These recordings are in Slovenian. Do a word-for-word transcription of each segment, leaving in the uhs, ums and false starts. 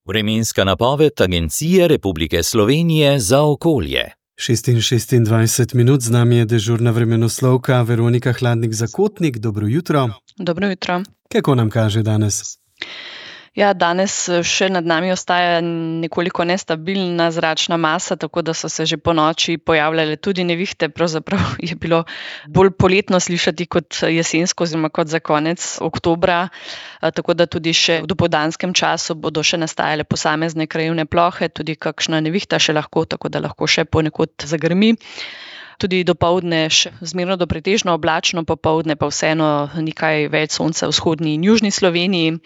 Vremenska napoved Agencije Republike Slovenije za okolje. šest in šestindvajset minut, z nami je dežurna vremenoslovka Veronika Hladnik-Zakotnik. Dobro jutro. Dobro jutro. Kako nam kaže danes? Ja, danes še nad nami ostaja nekoliko nestabilna zračna masa, tako da so se že po noči pojavljale tudi nevihte. Pravzaprav je bilo bolj poletno slišati kot jesensko oziroma kot za konec oktobra, tako da tudi še v dopoldanskem času bodo še nastajale posamezne krajevne plohe, tudi kakšna nevihta še lahko, tako da lahko še ponekod zagrmi. Tudi dopoldne še zmerno do pretežno oblačno, popoldne pa vseeno nekaj več sonca v vzhodni in južni Sloveniji.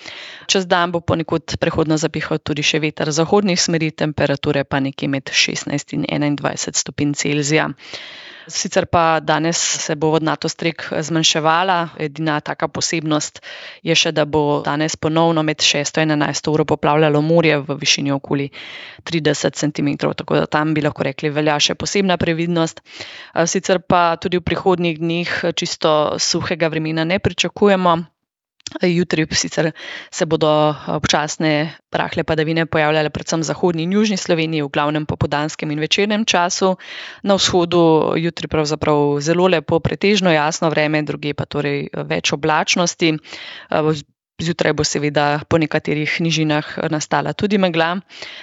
Čez dan bo ponekod prehodno zapihal tudi še veter zahodnih smeri, temperature pa nekje med šestnajst in enaindvajset stopinj Celzija. Sicer pa danes se bo vodnatost rek zmanjševala, edina taka posebnost je še, da bo danes ponovno med šesto in enajsto uro poplavljalo morje v višini okoli trideset centimetrov, tako da tam bi lahko rekli velja še posebna previdnost. Sicer pa tudi v prihodnjih dneh čisto suhega vremena ne pričakujemo. Jutri sicer se bodo občasne rahle padavine pojavljale predvsem v zahodni in južni Sloveniji, v glavnem popoldanskem in večernem času. Na vzhodu jutri pravzaprav zelo lepo, pretežno jasno vreme, drugje pa torej več oblačnosti. Zjutraj bo seveda po nekaterih nižinah nastala tudi megla.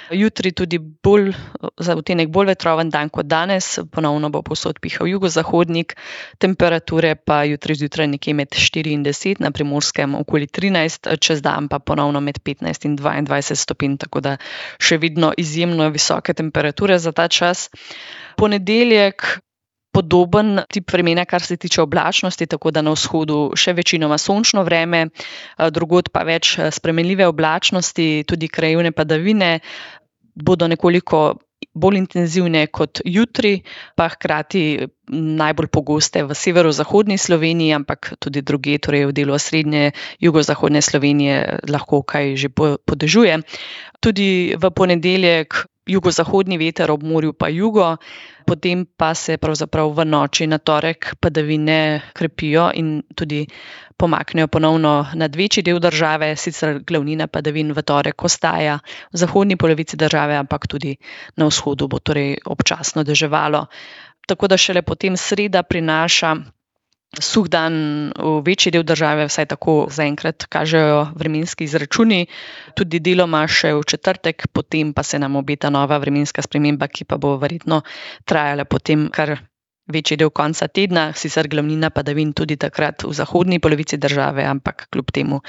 Jutri tudi bolj, za odtenek bolj vetroven dan kot danes, ponovno bo povsod pihal jugozahodnik, temperature pa jutri zjutraj nekje med štiri in deset, na Primorskem okoli trinajst, čez dan pa ponovno med petnajst in dvaindvajset stopinj, tako da še vedno izjemno visoke temperature za ta čas. Ponedeljek podoben tip vremena, kar se tiče oblačnosti, tako da na vzhodu še večinoma sončno vreme, drugod pa več spremenljive oblačnosti, tudi krajevne padavine bodo nekoliko bolj intenzivne kot jutri, pa hkrati najbolj pogoste v severozahodni Sloveniji, ampak tudi drugje, torej v delu srednje jugozahodne Slovenije lahko kaj že podežuje. Tudi v ponedeljek jugozahodni veter, ob morju pa jugo, potem pa se pravzaprav v noči na torek padavine krepijo in tudi pomaknejo ponovno nad večji del države, sicer glavnina padavin v torek ostaja v zahodni polovici države, ampak tudi na vzhodu bo torej občasno deževalo. Tako da šele potem sreda prinaša suh dan v večji del države, vsaj tako zaenkrat kažejo vremenski izračuni, tudi deloma še v četrtek, potem pa se nam obeta nova vremenska sprememba, ki pa bo verjetno trajala potem kar večji del konca tedna, sicer glavnina padavin tudi takrat v zahodni polovici države, ampak kljub temu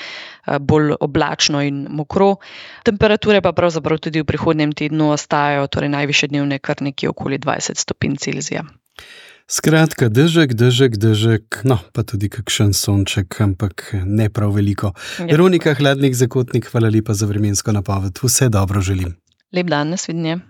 bolj oblačno in mokro. Temperature pa pravzaprav tudi v prihodnjem tednu ostajajo, torej najvišje dnevne kar nekje okoli dvajset stopinj Celzija. Skratka, dežek, dežek, dežek, no, pa tudi kakšen sonček, ampak ne prav veliko. Ja. Veronika Hladnik-Zakotnik, hvala lepa za vremensko napoved. Vse dobro želim. Lep dan, nasvidenje.